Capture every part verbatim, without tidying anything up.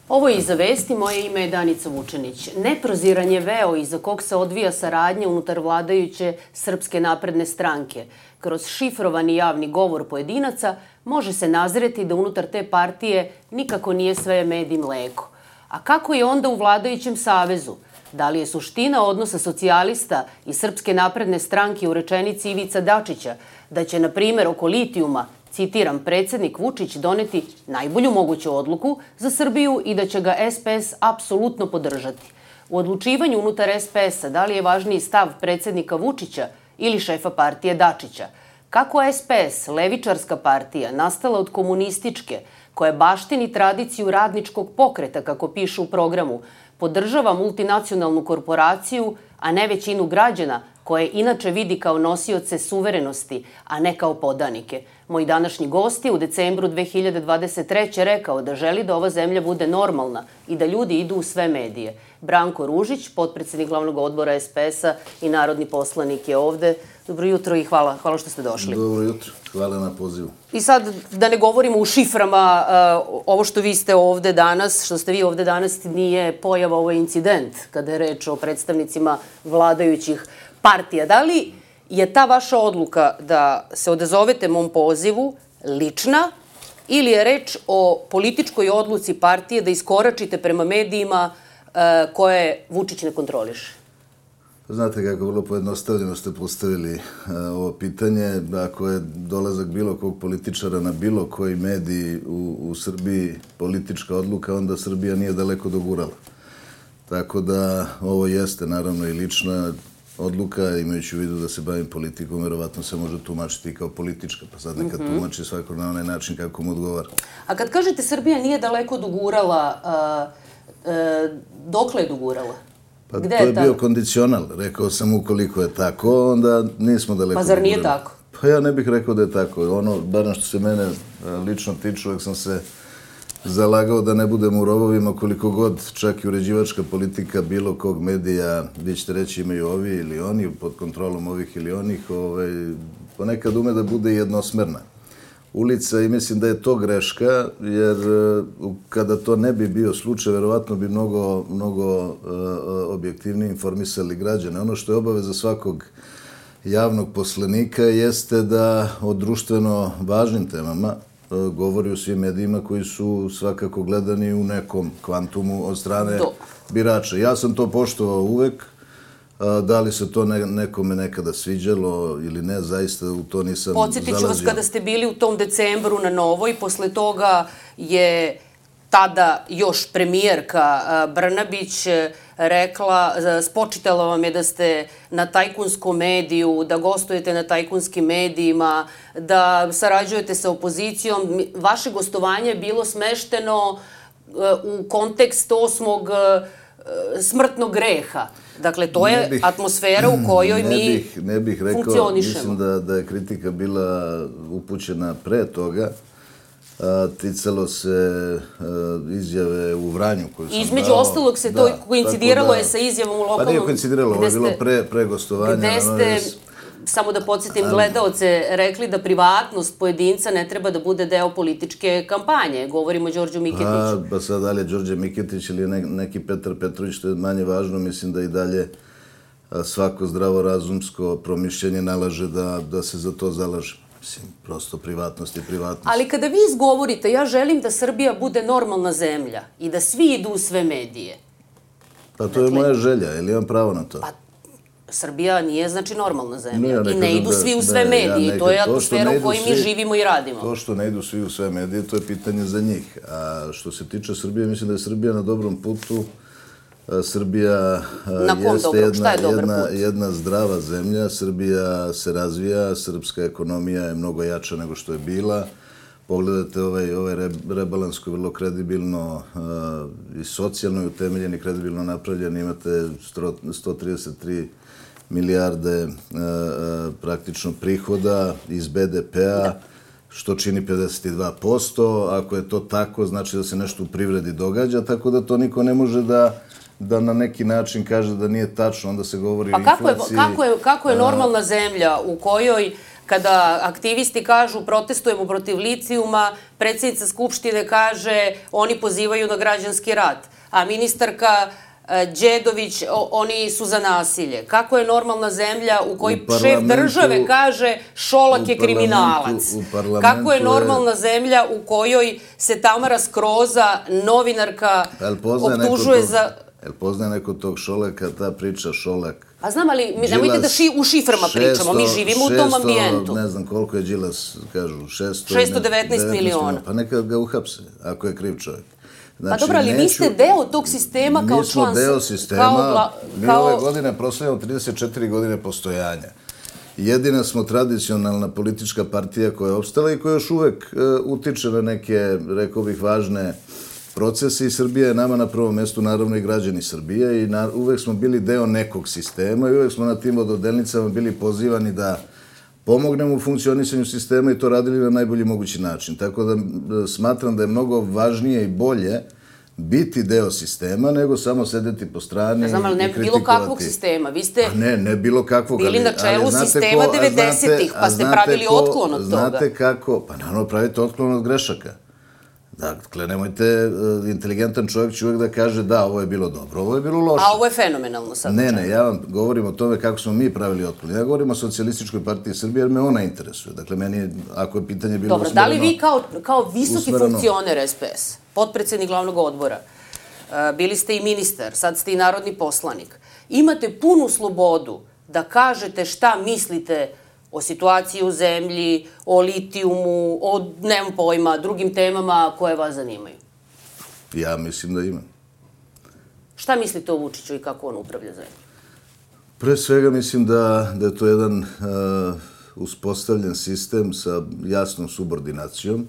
Ovo je Iza vesti, moje ime je Danica Vučenić. Neproziran je veo iza kog se odvija saradnja unutar vladajuće Srpske napredne stranke. Kroz šifrovani javni govor pojedinaca može se nazreti da unutar te partije nikako nije sve med i mleko. A kako je onda u vladajućem savezu? Da li je suština odnosa socijalista i Srpske napredne stranke u rečenici Ivica Dačića da će, na primjer, oko litijuma, citiram, predsjednik Vučić doneti najbolju moguću odluku za Srbiju i da će ga S P S apsolutno podržati? U odlučivanju unutar S P S-a da li je važniji stav predsjednika Vučića ili šefa partije Dačića? Kako S P S, levičarska partija, nastala od komunističke, koja baštini tradiciju radničkog pokreta, kako piše u programu, podržava multinacionalnu korporaciju, a ne većinu građana, koje inače vidi kao nosioce suverenosti, a ne kao podanike? Moj današnji gost je u decembru dve hiljade dvadeset treće rekao da želi da ova zemlja bude normalna i da ljudi idu u sve medije. Branko Ružić, potpredsjednik glavnog odbora S P S-a i narodni poslanik, je ovde. Dobro jutro i hvala, hvala što ste došli. Dobro jutro, hvala na pozivu. I sad, da ne govorimo u šiframa, ovo što vi ste ovde danas, što ste vi ovde danas, nije pojava, ovo je incident, kada je reč o predstavnicima vladajućih partija. Da li je ta vaša odluka da se odazovete mom pozivu lična ili je reč o političkoj odluci partije da iskoračite prema medijima koje Vučić ne kontroliše? Znate kako vrlo pojednostavljeno ste postavili ovo pitanje. Ako je dolazak bilo kog političara na bilo koji mediji u, u Srbiji politička odluka, onda Srbija nije daleko dogurala. Tako da ovo jeste naravno i lična odluka, imajući u vidu da se bavim politikom, verovatno se može tumačiti kao politička, pa sad neka tumači svako na onaj način kako mu odgovara. A kad kažete Srbija nije daleko dogurala, dokle je dogurala? Pa to je bio kondicional. Rekao sam ukoliko je tako, onda nismo daleko dogurali. Pa zar nije tako? Pa ja ne bih rekao da je tako. Ono, barem što se mene lično tiče, uvek sam se zalagao da ne budem u rovovima koliko god, čak i uređivačka politika bilo kog medija, vi ćete reći imaju ovi ili oni, pod kontrolom ovih ili onih, ponekad ume da bude jednosmerna ulica i mislim da je to greška, jer kada to ne bi bio slučaj, verovatno bi mnogo, mnogo objektivnije informisali građane. Ono što je obaveza svakog javnog poslanika jeste da o društveno važnim temama govori u svim medijima koji su svakako gledani u nekom kvantumu od strane birača. Ja sam to poštovao uvek. Da li se to nekome nekada sviđalo ili ne, zaista u to nisam zalazio. Podsjetit ću vas kada ste bili u tom decembru na Novoj, posle toga je tada još premijerka Brnabić rekla, spočitala vam je da ste na tajkunskom mediju, da gostujete na tajkunskim medijima, da sarađujete sa opozicijom. Vaše gostovanje je bilo smešteno u kontekst osmog smrtnog greha. Dakle, to je atmosfera u kojoj mi funkcionišemo. Ne bih rekao, mislim da je kritika bila upućena pre toga. Ticalo se izjave u Vranju koju sam dao. Između ostalog se to koincidiralo je sa izjavom u lokalnom... Pa nije koincidiralo, ovo je bilo pre gostovanja. Gde ste, samo da podsjetim gledaoce, rekli da privatnost pojedinca ne treba da bude deo političke kampanje. Govorimo o Đorđu Miketiću. Pa sad dalje Đorđe Miketić ili neki Petar Petrović, što je manje važno, mislim da i dalje svako zdravorazumsko promišljenje nalaže da se za to zalaže. Mislim, prosto privatnost je privatnost. Ali kada vi izgovorite, ja želim da Srbija bude normalna zemlja i da svi idu u sve medije. Pa to je moja želja, ili imam pravo na to? Pa Srbija nije znači normalna zemlja i ne idu svi u sve medije. I to je atmosfera u kojoj mi živimo i radimo. To što ne idu svi u sve medije, to je pitanje za njih. A što se tiče Srbije, mislim da je Srbija na dobrom putu. Srbija jeste jedna zdrava zemlja, Srbija se razvija, srpska ekonomija je mnogo jača nego što je bila. Pogledajte ovaj rebalans koji je vrlo kredibilno i socijalno utemeljen i kredibilno napravljen. Imate sto trideset tri milijarde praktično prihoda iz B D P-a, što čini pedeset dva posto. Ako je to tako, znači da se nešto u privredi događa, tako da to niko ne može da da na neki način kaže da nije tačno, onda se govori o inflaciji. Pa kako je normalna zemlja u kojoj Kada aktivisti kažu protestujemo protiv litijuma, predsjednica Skupštine kaže oni pozivaju na građanski rat, a ministarka Đedović, oni su za nasilje. Kako je normalna zemlja u kojoj šef države kaže Šolak je kriminalac? Kako je normalna zemlja u kojoj se Tamara Skroza, novinarka, optužuje za... Jel poznaje neko tog Šolaka, ta priča Šolak? Pa znam, ali nemojte da u šiframa pričamo, mi živimo u tom ambijentu. Ne znam koliko je Đilas, kažu, šesto devetnaest miliona. Pa neka ga uhapse, ako je kriv čovjek. Pa dobro, ali vi ste deo tog sistema kao član... Mi smo deo sistema, mi ove godine proslavljamo trideset četiri godine postojanja. Jedina smo tradicionalna politička partija koja je opstala i koja još uvek utiče na neke, rekao bih, važne procese i Srbija je nama na prvom mjestu, naravno i građani Srbije, i uvek smo bili deo nekog sistema i uvek smo na tim ododelnicama bili pozivani da pomognemo u funkcionisanju sistema i to radili na najbolji mogući način. Tako da smatram da je mnogo važnije i bolje biti deo sistema nego samo sedeti po strani i kritikovati. Znam, ali ne bilo kakvog sistema. Vi ste ne, ne bilo kakvog, bili na čelu sistema devedesetih, pa ste pravili otklon od toga. Znate kako? Pa naravno pravite otklon od grešaka. Dakle, nemojte, inteligentan čovjek će uvijek da kaže da, ovo je bilo dobro, ovo je bilo loše. A ovo je fenomenalno sad. Ne, ne, ja vam govorim o tome kako smo mi pravili otklon. Ja govorim o Socijalističkoj partiji Srbije jer me ona interesuje. Dakle, meni, ako je pitanje bilo usmjereno... Dobro, da li vi kao visoki funkcioner S P S, potpredsjednik glavnog odbora, bili ste i ministar, sad ste i narodni poslanik, imate punu slobodu da kažete šta mislite o situaciji u zemlji, o litijumu, o, nemam pojma, drugim temama koje vas zanimaju? Ja mislim da imam. Šta mislite o Vučiću i kako on upravlja zemlju? Pre svega mislim da je to jedan uspostavljen sistem sa jasnom subordinacijom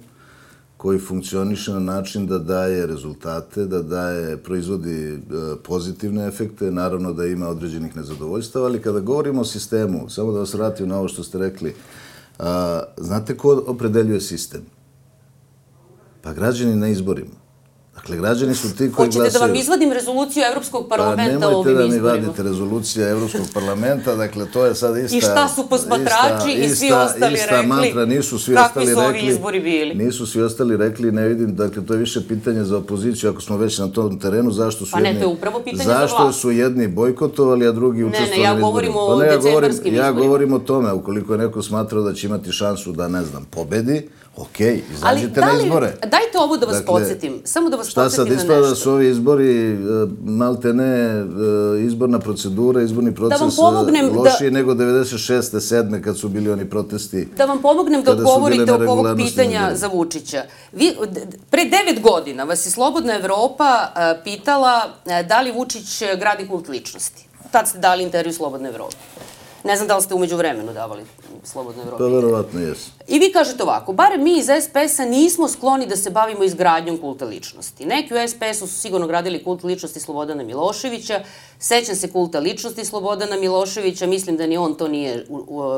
koji funkcioniše na način da daje rezultate, da daje, proizvodi pozitivne efekte, naravno da ima određenih nezadovoljstava, ali kada govorimo o sistemu, samo da vas vratim na ovo što ste rekli, znate ko opredeljuje sistem? Pa građani na izborima. Dakle, građani su ti koji glasaju... Hoćete da vam izvadim rezoluciju Evropskog parlamenta o ovim izborima? Pa nemojte da mi vadite rezolucija Evropskog parlamenta, dakle, to je sad ista... I šta su posmatrači i svi ostali rekli? Kakvi su ovi izbori bili? Nisu svi ostali rekli, ne vidim, dakle, to je više pitanje za opoziciju, ako smo već na tom terenu, zašto su jedni... Pa ne, to je upravo pitanje za vlast. Zašto su jedni bojkotovali, a drugi učestvovali u izborima? Ne, ne, ja govorim o decembarskim izborima. Ja govorim o tome, ukoliko je neko smatrao da će imati šansu da, ne znam, pobedi, okej, izađite na izbore. Dajte ovo da vas podsjetim, samo da vas podsjetim na nešto. Šta sad ispada da su ovi izbori, malte ne, izborna procedura, izborni proces lošiji nego devedeset šeste sedme kad su bili oni protesti. Da vam pomognem da odgovorite oko ovog pitanja za Vučića. Pre devet godina vas je Slobodna Evropa pitala da li Vučić gradi kult ličnosti. Tad ste dali intervju Slobodnoj Evropi. Ne znam da li ste umeđu vremenu davali Slobodnoj Evropi. Pa verovatno jesu. I vi kažete ovako, barem mi iz S P S-a nismo skloni da se bavimo izgradnjom kulta ličnosti. Neki u S P S-u su sigurno gradili kult ličnosti Slobodana Miloševića, sećam se kulta ličnosti Slobodana Miloševića, mislim da ni on to nije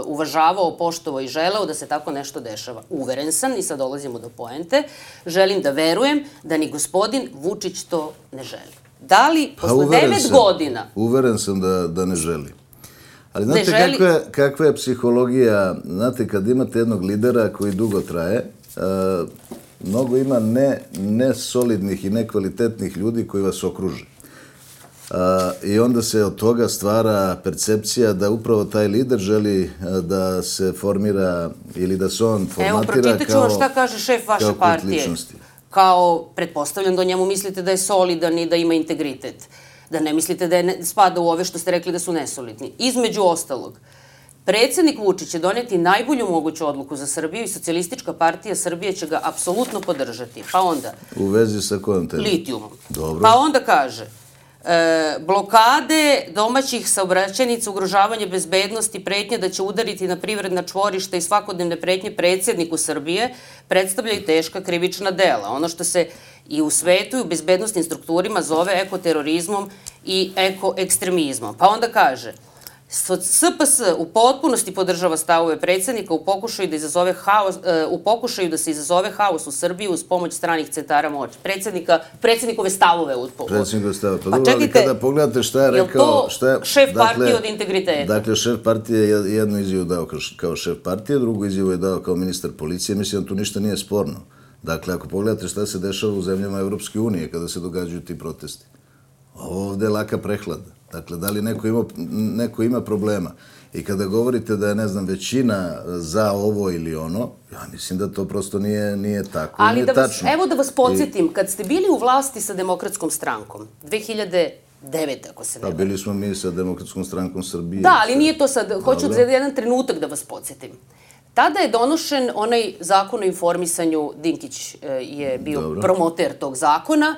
uvažavao, poštovao i želeo da se tako nešto dešava. Uveren sam, i sad dolazimo do poente, želim da verujem da ni gospodin Vučić to ne želi. Da li posle devet godina... Uveren sam da ne želi. Ali znate kakva je psihologija, znate, kad imate jednog lidera koji dugo traje, mnogo ima nesolidnih i nekvalitetnih ljudi koji vas okruže. I onda se od toga stvara percepcija da upravo taj lider želi da se formira ili da se on formatira kao kult ličnosti. Evo, pročitat ću vam šta kaže šef vaše partije. Kao, pretpostavljam da o njemu mislite da je solidan i da ima integritet. Da ne mislite da je spada u ove što ste rekli da su nesolidni. Između ostalog, predsjednik Vučić će doneti najbolju moguću odluku za Srbiju i Socijalistička partija Srbije će ga apsolutno podržati. Pa onda... U vezi sa kojom temom? Litijumom. Pa onda kaže, blokade domaćih saobraćajnica, ugrožavanje bezbednosti, pretnje da će udariti na privredna čvorišta i svakodnevne pretnje predsjedniku Srbije predstavljaju teška krivična dela. Ono što se i u svetu i u bezbednostnim strukturima zove ekoterorizmom i ekoekstremizmom. Pa onda kaže, S P S u potpunosti podržava stavove predsjednika u pokušaju da izazove haos, u pokušaju da se izazove haos u Srbiji uz pomoć stranih centara moći. Predsjednika, predsjednikove stavove u Predsjednikove stavove. Pa, pa dobro, čekajte, ali kada pogledate šta je rekao... Šta je to šef partije od integriteta? Dakle, šef partije je jednu izjavu dao kao šef partije, drugu izjavu je dao kao ministar policije. Mislim da tu ništa nije sporno. Dakle, ako pogledate šta se dešava u zemljama Evropske unije kada se događaju ti protesti. Ovo ovde je laka prehlada. Dakle, da li neko ima, neko ima problema? I kada govorite da je, ne znam, većina za ovo ili ono, ja mislim da to prosto nije, nije tako. Ali nije da vas, tačno. Evo da vas podsjetim, I... kad ste bili u vlasti sa Demokratskom strankom, dve hiljade devete. ako se ne varam. Pa bili smo mi sa Demokratskom strankom Srbije. Da, ali nije to sad. Hoću za jedan trenutak da vas podsjetim. Tada je donošen onaj zakon o informisanju, Dinkić je bio Dobro. promoter tog zakona,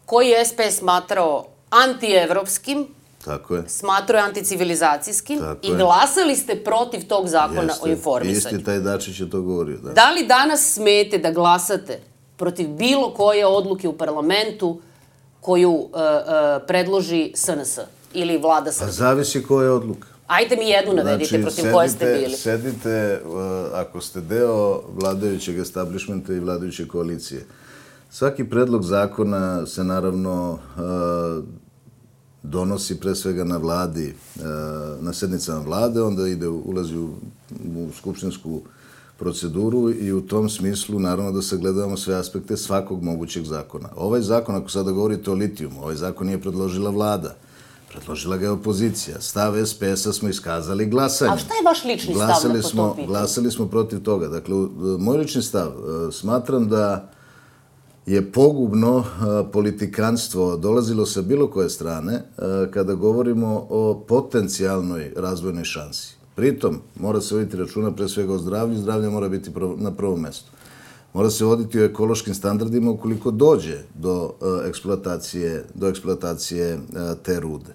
koji je S P S smatrao antievropskim, Tako je. smatrao je anticivilizacijskim Tako i je. glasali ste protiv tog zakona Jeste. o informisanju. Isti taj Dačić je to govorio. Da. Da li danas smete da glasate protiv bilo koje odluke u parlamentu koju uh, uh, predloži S N S ili vlada Srbije? Pa zavisi koja je odluka. Ajde mi jednu navedite znači, protiv sedite, koje ste bili. Sedite, uh, ako ste deo vladajućeg establishmenta i vladajuće koalicije. Svaki predlog zakona se naravno uh, donosi pre svega na vladi, uh, na sednicama vlade, onda ide, ulazi u, u skupštinsku proceduru i u tom smislu naravno da sagledavamo sve aspekte svakog mogućeg zakona. Ovaj zakon, ako sada govorite o litijumu, ovaj zakon nije predložila vlada. Predložila ga je opozicija. Stav S P S-a smo iskazali glasanjem. A šta je vaš lični stav na to smo, pitanje? Glasali smo protiv toga. Dakle, moj lični stav, smatram da je pogubno politikanstvo dolazilo sa bilo koje strane kada govorimo o potencijalnoj razvojnoj šansi. Pritom, mora se voditi računa pre svega o zdravlju, zdravlje mora biti na prvom mestu. Mora se voditi o ekološkim standardima ukoliko dođe do eksploatacije, do eksploatacije te rude.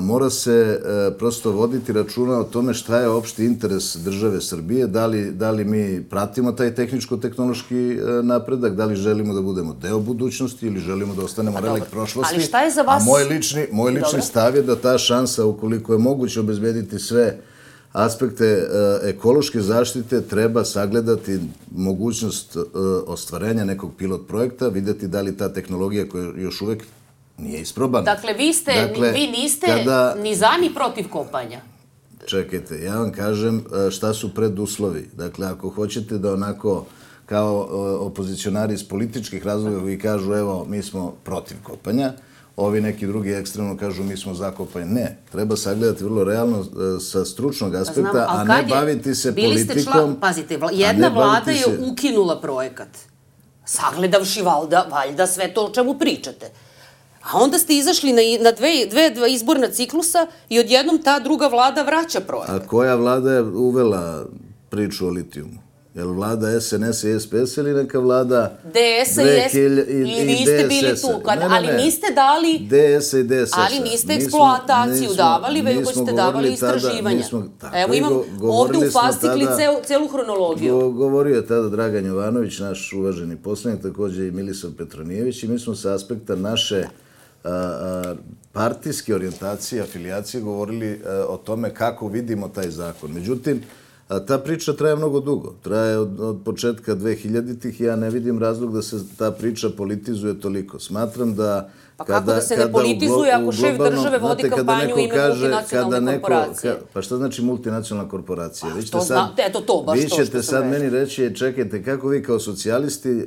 Mora se prosto voditi računa o tome šta je opšti interes države Srbije, da li, da li mi pratimo taj tehničko-tehnološki napredak, da li želimo da budemo deo budućnosti ili želimo da ostanemo relikt prošlosti. Ali šta je za vas... A moj lični, moj lični stav je da ta šansa, ukoliko je moguće obezbediti sve aspekte ekološke zaštite, treba sagledati mogućnost ostvarenja nekog pilot projekta, vidjeti da li ta tehnologija koja još uvek nije isprobana. Dakle, vi, ste, dakle, vi niste kada... ni za ni protiv kopanja. Čekajte, ja vam kažem šta su preduslovi. Dakle, ako hoćete da onako kao opozicionari iz političkih razloga koji kažu evo, mi smo protiv kopanja, ovi neki drugi ekstremno kažu mi smo za kopanje. Ne, treba sagledati vrlo realno sa stručnog aspekta, Znam, a ne baviti se politikom. Član, pazite, jedna vlada je se... ukinula projekat, sagledavši valjda, valjda sve to o čemu pričate. A onda ste izašli na, na dve, dve, dva izborna ciklusa i odjednom ta druga vlada vraća projekat. A koja vlada je uvela priču o litijumu? Je li vlada S N S i S P S ili neka vlada D S i S P S? I vi ste bili tu, ali niste dali... D S i D S S. Ali niste eksploataciju davali, već ste davali istraživanja. Evo imam ovde u fascikli celu hronologiju. Govorio je tada Dragan Jovanović, naš uvaženi poslanik, također i Milisav Petronijević, i mi smo sa aspekta naše partijske orijentacije, afilijacije govorili o tome kako vidimo taj zakon. Međutim, ta priča traje mnogo dugo. Traje od, od početka dvehiljaditih i ja ne vidim razlog da se ta priča politizuje toliko. Smatram da... Pa kako da se ne politizuje ako šef države vodi kampanju u ime multinacionalne korporacije? Pa šta znači multinacionalna korporacija? Pa što znate, eto to, baš to što sam Vi ćete sad meni reći, čekajte, kako vi kao socijalisti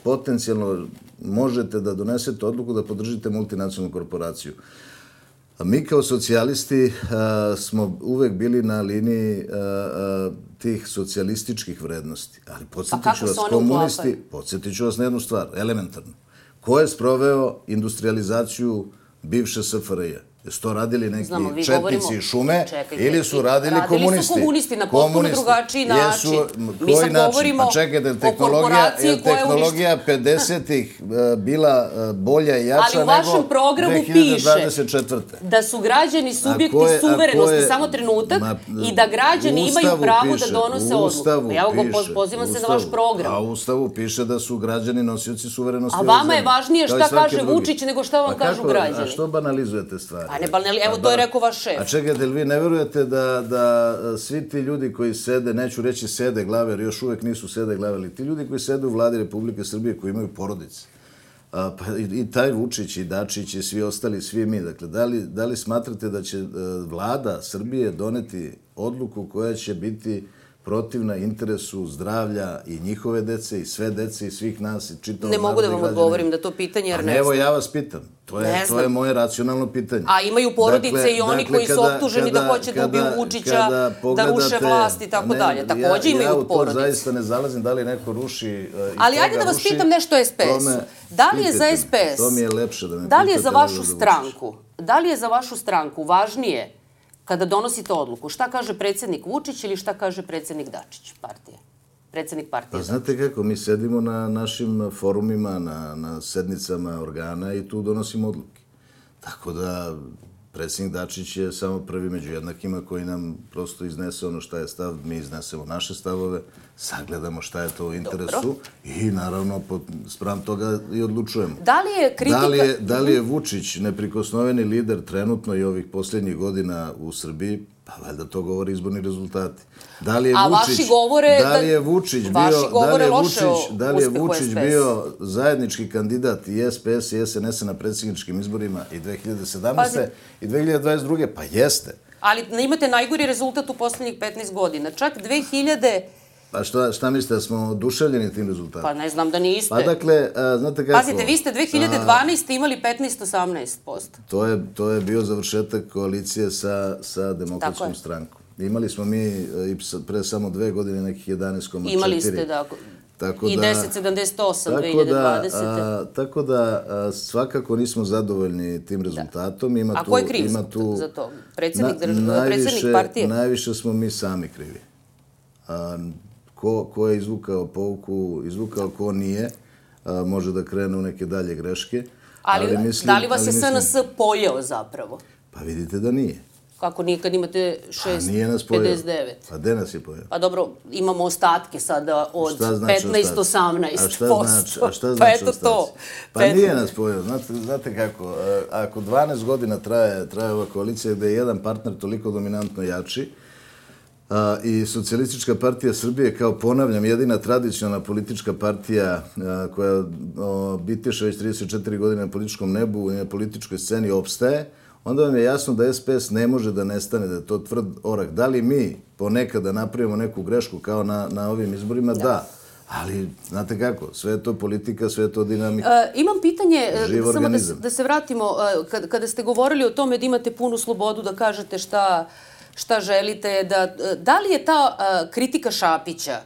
potencijalno možete da donesete odluku da podržite multinacionalnu korporaciju? Mi kao socijalisti smo uvek bili na liniji tih socijalističkih vrednosti. Ali podsjetit ću vas, komunisti, podsjetit ću vas na jednu stvar, elementarno. Ko je sproveo industrializaciju bivše S F R J-a? Jesu to radili neki četnici i šume ili su radili komunisti? Radili su komunisti na potpuno drugačiji način. Mi sad govorimo o korporaciji koja je tehnologija pedesetih bila bolja i jača nego dve hiljade dvadeset četvrte. Ali u vašem programu piše da su građani subjekti suverenosti, samo trenutak, i da građani imaju pravo da donose odluku. Evo go, pozivam se na vaš program. A u Ustavu piše da su građani nosioci suverenosti. A vama je važnije šta kaže Vučić nego šta vam kažu građani. A što banalizujete stvari? ne, pa ne, evo to je rekao vaš šef. A čekajte, li vi ne verujete da, da svi ti ljudi koji sede, neću reći sede glave, jer još uvek nisu sede glave, ali ti ljudi koji sede u vladi Republike Srbije, koji imaju porodice, a, pa i, i taj Vučić, i Dačić, i svi ostali, svi mi, dakle, da li, da li smatrate da će vlada Srbije doneti odluku koja će biti protivna interesu zdravlja i njihove dece i sve dece i svih nas i čitavog naroda. Ne mogu da vam odgovorim na to pitanje, jer ne znam. Evo, ja vas pitam. To je, to je moje racionalno pitanje. A imaju porodice dakle, i oni dakle, koji su kada, optuženi kada, da hoće kada, da ubiju Vučića, da ruše vlast i tako ne, dalje. Takođe ja, imaju porodice. Ja u to zaista ne zalazim da li neko ruši uh, Ali ajde da vas ruši, pitam nešto o es pe esu. Da li je za es pe es, to mi je lepše da me da li je za vašu stranku, da li je za vašu stranku važnije kada donosite odluku, šta kaže predsjednik Vučić ili šta kaže predsjednik Dačić partije? Predsjednik partije. Pa znate kako, mi sedimo na našim forumima, na, na sednicama organa i tu donosimo odluke. Tako da predsjednik Dačić je samo prvi među jednakima koji nam prosto iznese ono šta je stav, mi iznesemo naše stavove, sagledamo šta je to u interesu Dobro. I naravno spram toga i odlučujemo. Da li je kritika... Da li je, da li je Vučić neprikosnoveni lider trenutno i ovih posljednjih godina u Srbiji? Pa valjda to govori izborni rezultati. Da li je A Vučić, vaši govore... Da li je Vučić bio, da li je Vučić, da li je Vučić bio zajednički kandidat i es pe es i es en es na predsjedničkim izborima i dve hiljade sedamnaeste. i dve hiljade dvadeset druge. Pa jeste. Ali imate najgori rezultat u posljednjih petnaest godina. Čak dve hiljade... Pa šta, šta mislite, da smo oduševljeni tim rezultatom? Pa ne znam da niste. Pa dakle, a, znate kako... Pazite, vi ste dve hiljade dvanaeste. imali petnaest osamnaest posto. To je, to je bio završetak koalicije sa, sa Demokratskom strankom. Imali smo mi i pre samo dve godine nekih jedanaest zarez četiri. Imali ste, da. Tako I da, deset zarez sedamdeset osam dve hiljade dvadesete. A, tako da a, svakako nismo zadovoljni tim rezultatom. Ima A tu, ko je kriv ima tu, za to? Predsjednik, na, drž... najviše, predsjednik partije? Najviše smo mi sami krivi. A, ko, ko je izvukao pouku, izvukao ko nije, a, može da krene u neke dalje greške. Ali, ali mislim, da li vas je es en es pojeo zapravo? Pa vidite da nije. Kako nije kad imate šest zarez pedeset devet? Pa gde nas je pojeo? Pa dobro, imamo ostatke sada od znači petnaest zarez osamnaest posto. A šta znači, a šta znači pa eto ostaci? to. Pa nije nas pojeo. Znate, znate kako, ako dvanaest godina traje, traje ova koalicija gde je jedan partner toliko dominantno jači, a, i Socijalistička partija Srbije, kao ponavljam, jedina tradicionalna politička partija a, koja o, bitiše već trideset četiri godine na političkom nebu i na političkoj sceni opstaje, onda vam je jasno da es pe es ne može da nestane, da je to tvrd orak. Da li mi ponekada napravimo neku grešku kao na, na ovim izborima? Da. da. Ali, znate kako, sve je to politika, sve je to dinamika. E, imam pitanje, samo da se, da se vratimo, kada, kada ste govorili o tome da imate punu slobodu da kažete šta, šta želite, da, da li je ta a, kritika Šapića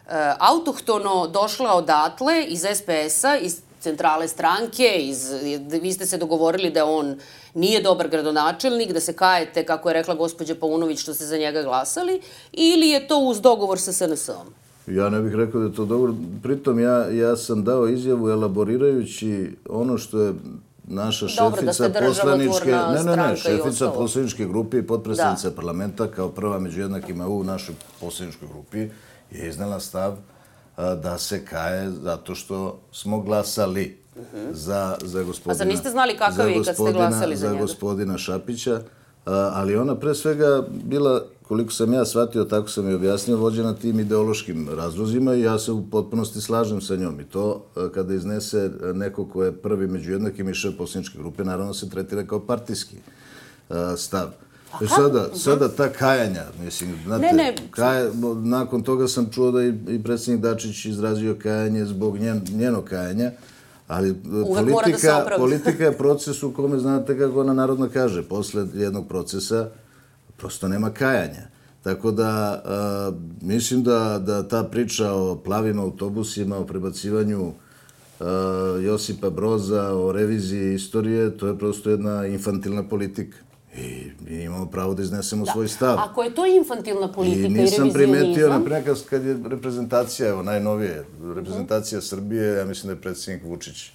a, autohtono došla odatle iz es pe es-a, iz centrale stranke, iz, vi ste se dogovorili da on nije dobar gradonačelnik, da se kajete, kako je rekla gospođa Paunović, što ste za njega glasali, ili je to uz dogovor sa es en es-om? Ja ne bih rekao da je to dogovor. Pritom ja, ja sam dao izjavu elaborirajući ono što je naša šefica poslaničke... Ne, ne, ne, šefica poslaničke grupe i potpredsednica parlamenta kao prva među jednakima u našoj poslaničkoj grupi je iznela stav da se kaje zato što smo glasali uh-huh. za, za gospodina... A zar niste znali kakav je kad ste glasali za, za njega? Za gospodina Šapića, ali ona pre svega bila, koliko sam ja shvatio, tako sam je objasnio, vođena tim ideološkim razlozima i ja se u potpunosti slažem sa njom. I to kada iznese neko ko je prvi među jednakim i šef poslaničke grupe, naravno se tretira kao partijski stav. E sada, sada ta kajanja, mislim, znate, ne, ne. Kaj, nakon toga sam čuo da i, i predsjednik Dačić izrazio kajanje zbog njen, njeno kajanja, ali politika, politika je proces u kome, znate kako ona narodno kaže, posle jednog procesa prosto nema kajanja. Tako da, a, mislim da, da ta priča o plavim autobusima, o prebacivanju a, Josipa Broza, o reviziji istorije, to je prosto jedna infantilna politika. I mi imamo pravo da iznesemo da. svoj stav. Ako je to infantilna politika i, i nisam primetio, naprimjer, kad je reprezentacija, evo, najnovije, reprezentacija Srbije, ja mislim da je predsjednik Vučić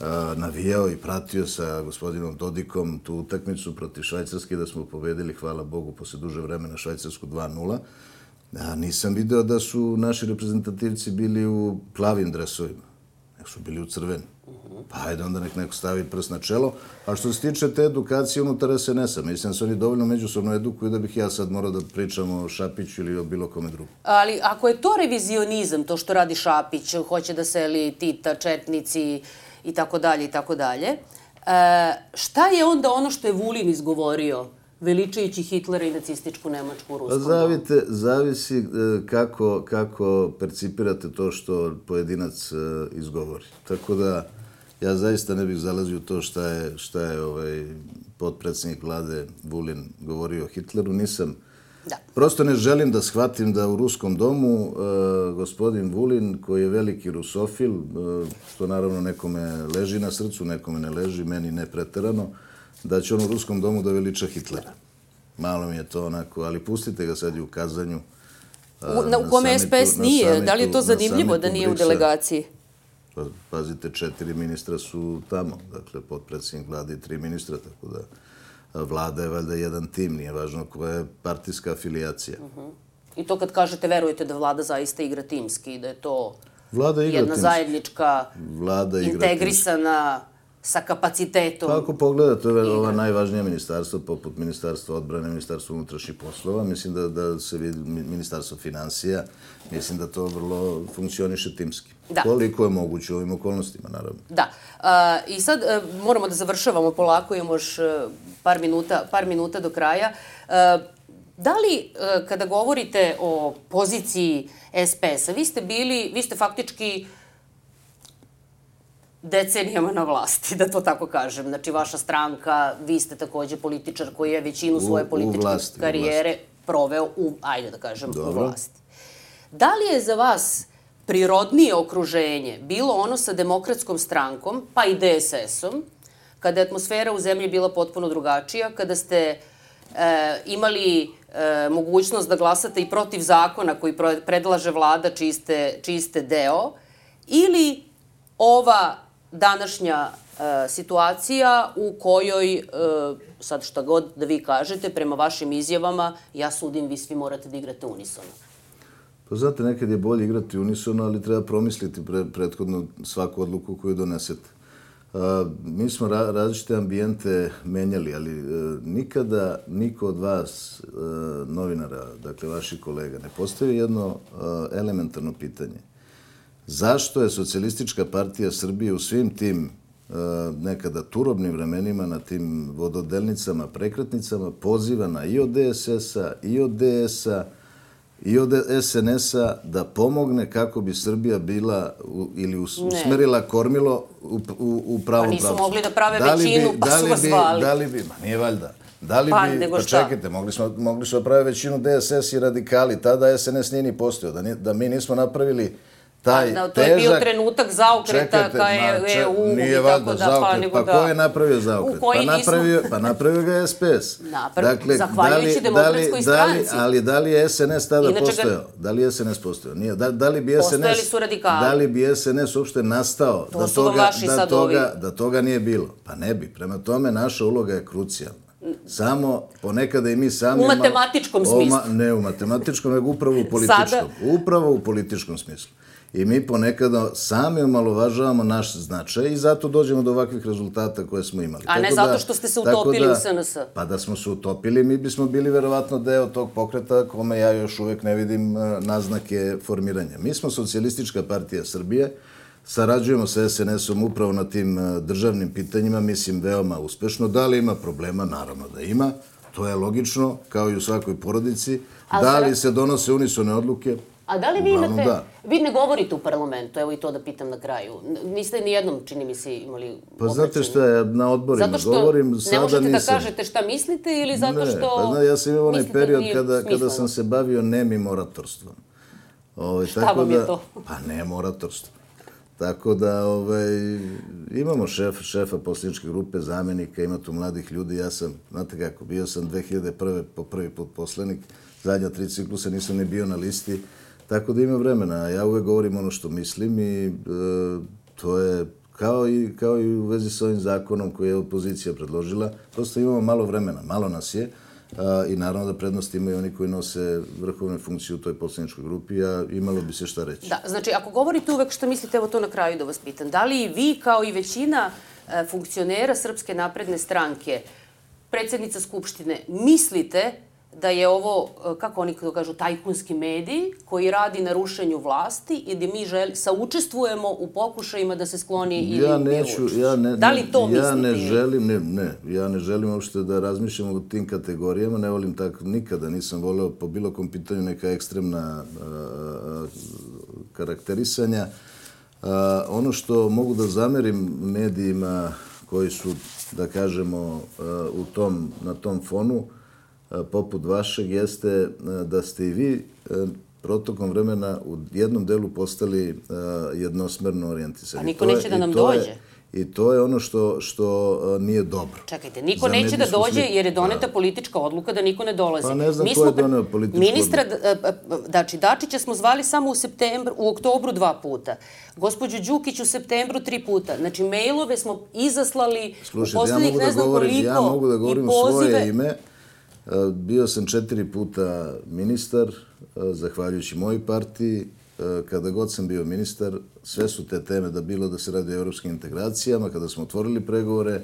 a, navijao i pratio sa gospodinom Dodikom tu utakmicu protiv Švajcarske, da smo pobedili, hvala Bogu, posle duže vremena Švajcarsku dva nula. A nisam video da su naši reprezentativci bili u plavim dresovima. nek su bili u crveni. Pa ajde onda nek neko stavi prst na čelo. A što se tiče te edukacije unutar es en es a, mislim da se oni dovoljno međusobno edukuju da bih ja sad morao da pričam o Šapiću ili o bilo kome drugom. Ali ako je to revizionizam, to što radi Šapić, hoće da seli Tita, četnici i tako dalje i tako dalje, šta je onda ono što je Vulin izgovorio veličajući Hitlera i nacističku Nemačku u Ruskom domu? Zavisi kako, kako percipirate to što pojedinac izgovori. Tako da ja zaista ne bih zalazio u to šta je, šta je ovaj, potpredsjednik vlade Vulin govorio o Hitleru. Nisam. Da. Prosto ne želim da shvatim da u Ruskom domu uh, gospodin Vulin, koji je veliki rusofil, uh, što naravno nekome leži na srcu, nekome ne leži, meni ne preterano, da će on u Ruskom domu da veliča Hitlera. Malo mi je to onako, ali pustite ga sad i u kazanju. Uh, u, na, u kome es pe es nije? Samitu, da li je to zanimljivo da nije u delegaciji? Pa, pazite, četiri ministra su tamo, dakle, potpredsjednik vlade i tri ministra, tako da vlada je valjda jedan tim, nije važno koja je partijska afilijacija. Uh-huh. I to kad kažete, verujete da vlada zaista igra timski i da je to vlada igra jedna timski. zajednička, vlada integrisana sa kapacitetom. Pa ako pogledate ova najvažnija ministarstva, poput Ministarstva odbrane, Ministarstva unutrašnjih poslova, mislim da, da se vidi Ministarstvo financija, mislim da to vrlo funkcioniše timski. Da. Koliko je moguće u ovim okolnostima, naravno. Da. Uh, I sad uh, moramo da završavamo polako, imamo još uh, par, minuta, par minuta do kraja. Uh, da li, uh, kada govorite o poziciji es pe es a, vi ste bili, vi ste faktički decenijama na vlasti, da to tako kažem. Znači, vaša stranka, vi ste takođe političar koji je većinu svoje političke u vlasti, karijere u proveo u, ajde da kažem, Dobro. u vlasti. Da li je za vas prirodnije okruženje bilo ono sa Demokratskom strankom, pa i de es es om, kada je atmosfera u zemlji bila potpuno drugačija, kada ste e, imali e, mogućnost da glasate i protiv zakona koji predlaže vlada čiji ste, čiji ste deo, ili ova današnja e, situacija u kojoj, e, sad šta god da vi kažete, prema vašim izjavama, ja sudim, vi svi morate da igrate unisono. Pa znate, nekad je bolje igrati unisono, ali treba promisliti pre, prethodno svaku odluku koju donesete. A, mi smo ra, različite ambijente menjali, ali e, nikada niko od vas, e, novinara, dakle vaših kolega, ne postavi jedno e, elementarno pitanje. Zašto je Socijalistička partija Srbije u svim tim e, nekada turobnim vremenima, na tim vododelnicama, prekretnicama, pozivana i od de es es a, i od de es a, i od es en es a da pomogne kako bi Srbija bila u, ili usmerila kormilo u, u, u pravom pravcu. Pa nisu mogli da prave da većinu, bi, pa su vas zvali. Da li bi, ma nije valjda, da li pa, bi, pa čekajte, mogli smo, mogli smo da prave većinu de es es i radikali, tada es en es nije ni postojao, da, da mi nismo napravili taj da, to težak... je bio trenutak zaokreta ka e u nije i tako da, zaokret. pa nego pa da... ko je napravio zaokret? Pa napravio, pa napravio ga es pe es. Napra... Dakle, zahvaljujući Demokratskoj stranci. Ali da li je es en es tada Inače postojao? Ga... Da li je es en es postojao? Nije. Da, da li bi es en es... Postojali su radikali. Da li bi es en es uopšte nastao to da, toga, da, toga, da toga nije bilo? Pa ne bi. Prema tome, naša uloga je krucijalna. Samo ponekada i mi sami... U matematičkom smislu. Ne u matematičkom, nego upravo u političkom. Sada... Upravo u političkom smislu. I mi ponekada sami omalovažavamo naš značaj i zato dođemo do ovakvih rezultata koje smo imali. A ne zato što ste se utopili u es en es a. Pa da smo se utopili, mi bismo bili verovatno deo tog pokreta kome ja još uvek ne vidim naznake formiranja. Mi smo Socijalistička partija Srbije, sarađujemo sa es en es om upravo na tim državnim pitanjima, mislim veoma uspešno. Da li ima problema? Naravno da ima. To je logično, kao i u svakoj porodici. Da li se donose unisone odluke? A da li vi imate... Da. Vi ne govorite u parlamentu, evo i to da pitam na kraju. Niste ni jednom, čini mi se, imali obraćanje. Pa znate šta, ja na odborima zato što govorim, sada nisam. Ne možete da kažete šta mislite ili zato što... Ne, pa zna, ja sam imao onaj period kada, kada sam se bavio nemim oratorstvom. Ove, šta tako vam da, je to? Pa nem oratorstvo. Tako da ovaj, imamo šef, šefa poslaničke grupe, zamenika, ima tu mladih ljudi. Ja sam, znate kako, bio sam dve hiljade prve po prvi put poslanik, zadnja tri ciklusa nisam ni bio na listi. Tako da ima vremena. Ja uvek govorim ono što mislim i e, to je kao i, kao i u vezi s ovim zakonom koji je opozicija predložila. Prosto imamo malo vremena, malo nas je. i naravno da prednost imaju oni koji nose vrhovne funkcije u toj poslaničkoj grupi, a imalo bi se šta reći. Da, znači, ako govorite uvek što mislite, evo to na kraju da vas pitam, da li vi kao i većina funkcionera Srpske napredne stranke, predsjednica Skupštine, mislite da je ovo, kako oni to kažu, tajkunski medij koji radi na rušenju vlasti i da mi saučestvujemo u pokušajima da se skloni ili ja neću, ja ne, da li to mislite? Ja ne želim, ne, ne, ja ne želim uopšte da razmišljam u tim kategorijama, ne volim tako, nikada nisam voleo po bilo kom pitanju neka ekstremna a, karakterisanja. A, ono što mogu da zamerim medijima koji su, da kažemo, a, u tom, na tom fonu, poput vašeg, jeste da ste i vi protokom vremena u jednom delu postali jednosmerno orijentisani. A niko neće da nam dođe. I to je ono što, što nije dobro. Čekajte, niko neće da dođe jer je doneta politička odluka da niko ne dolazi. Pa ne znam ko je doneo političku odluku. Ministra, znači Dačića smo zvali samo u septembru, u oktobru dva puta. Gospođu Đukić u septembru tri puta. Znači, mailove smo izaslali u poslednjih ne znam koliko. Ja mogu da govorim svoje ime. Bio sam četiri puta ministar, zahvaljujući mojoj partiji. Kada god sam bio ministar, sve su te teme, da bilo da se radi o evropskim integracijama, kada smo otvorili pregovore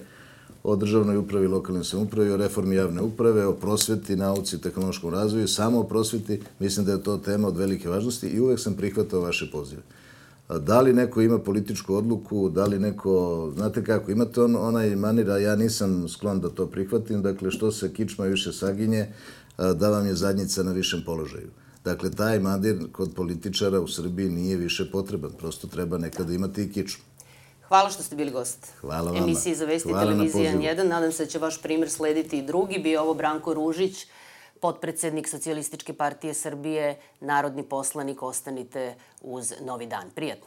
o državnoj upravi, lokalnoj samoupravi, o reformi javne uprave, o prosveti, nauci i tehnološkom razvoju, samo o prosveti, mislim da je to tema od velike važnosti i uvek sam prihvatao vaše pozive. Da li neko ima političku odluku, da li neko, znate kako, imate on, onaj manir, a ja nisam sklon da to prihvatim, dakle što se kičma više saginje, da vam je zadnjica na višem položaju. Dakle, taj manir kod političara u Srbiji nije više potreban, prosto treba nekada imati i kičmu. Hvala što ste bili gost. Hvala vama. Emisiji za Vesti televizije N jedan. Nadam se da će vaš primjer slediti i drugi. Bio ovo Branko Ružić, potpredsednik Socijalističke partije Srbije, narodni poslanik. Ostanite uz Novi dan. Prijetno.